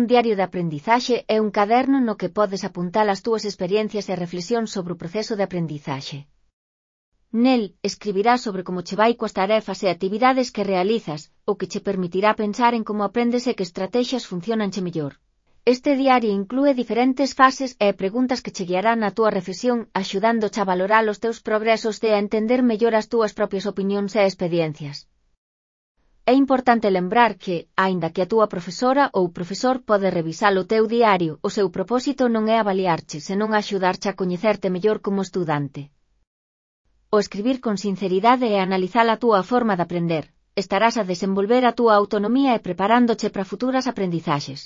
Un diario de aprendizaxe é un caderno no que podes apuntar as túas experiencias e reflexións sobre o proceso de aprendizaxe. Nel, escribirás sobre como che vai coas tarefas e actividades que realizas, o que che permitirá pensar en como aprendes e que estrategias funcionanche mellor. Este diario inclúe diferentes fases e preguntas que che guiarán na túa reflexión, axudándoche a valorar os teus progresos e a entender mellor as túas propias opinións e experiencias. É importante lembrar que, aínda que a túa profesora ou profesor pode revisar o teu diario, o seu propósito non é avaliarche, senón axudarche a coñecerte mellor como estudante. Ao escribir con sinceridade e analizar a túa forma de aprender, estarás a desenvolver a túa autonomía e preparándoche para futuras aprendizaxes.